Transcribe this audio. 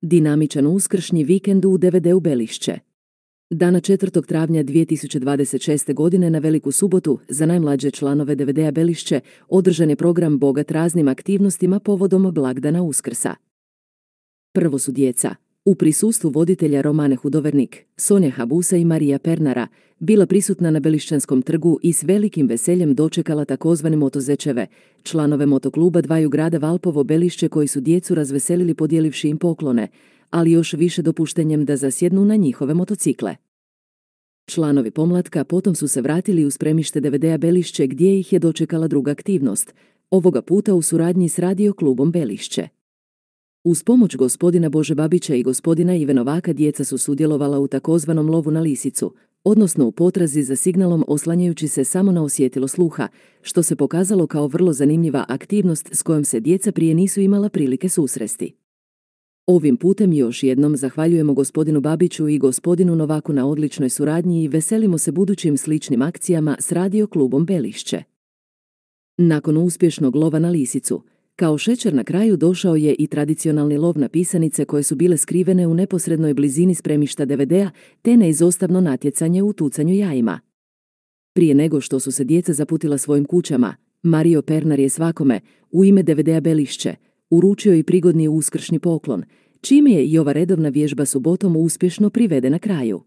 Dinamičan uskršnji vikend u DVD-u Belišće. Dana 4. travnja 2026. godine na Veliku subotu za najmlađe članove DVD-a Belišće održan je program bogat raznim aktivnostima povodom blagdana Uskrsa. Prvo su djeca, u prisustvu voditelja Romane Hudovernik, Sonje Habusa i Marija Pernara, bila prisutna na Belišćanskom trgu i s velikim veseljem dočekala takozvane motozečeve, članove motokluba dvaju grada Valpovo Belišće koji su djecu razveselili podijelivši im poklone, ali još više dopuštenjem da zasjednu na njihove motocikle. Članovi pomlatka potom su se vratili u spremište DVD-a Belišće gdje ih je dočekala druga aktivnost, ovoga puta u suradnji s radio klubom Belišće. Uz pomoć gospodina Bože Babića i gospodina Ive Novaka djeca su sudjelovala u takozvanom lovu na lisicu, odnosno u potrazi za signalom oslanjajući se samo na osjetilo sluha, što se pokazalo kao vrlo zanimljiva aktivnost s kojom se djeca prije nisu imala prilike susresti. Ovim putem još jednom zahvaljujemo gospodinu Babiću i gospodinu Novaku na odličnoj suradnji i veselimo se budućim sličnim akcijama s radio klubom Belišće. Nakon uspješnog lova na lisicu, kao šećer na kraju došao je i tradicionalni lov na pisanice koje su bile skrivene u neposrednoj blizini spremišta DVD-a te neizostavno natjecanje u tucanju jajima. Prije nego što su se djeca zaputila svojim kućama, Mario Pernar je svakome, u ime DVD-a Belišće, uručio i prigodni uskršnji poklon, čime je i ova redovna vježba subotom uspješno privedena kraju.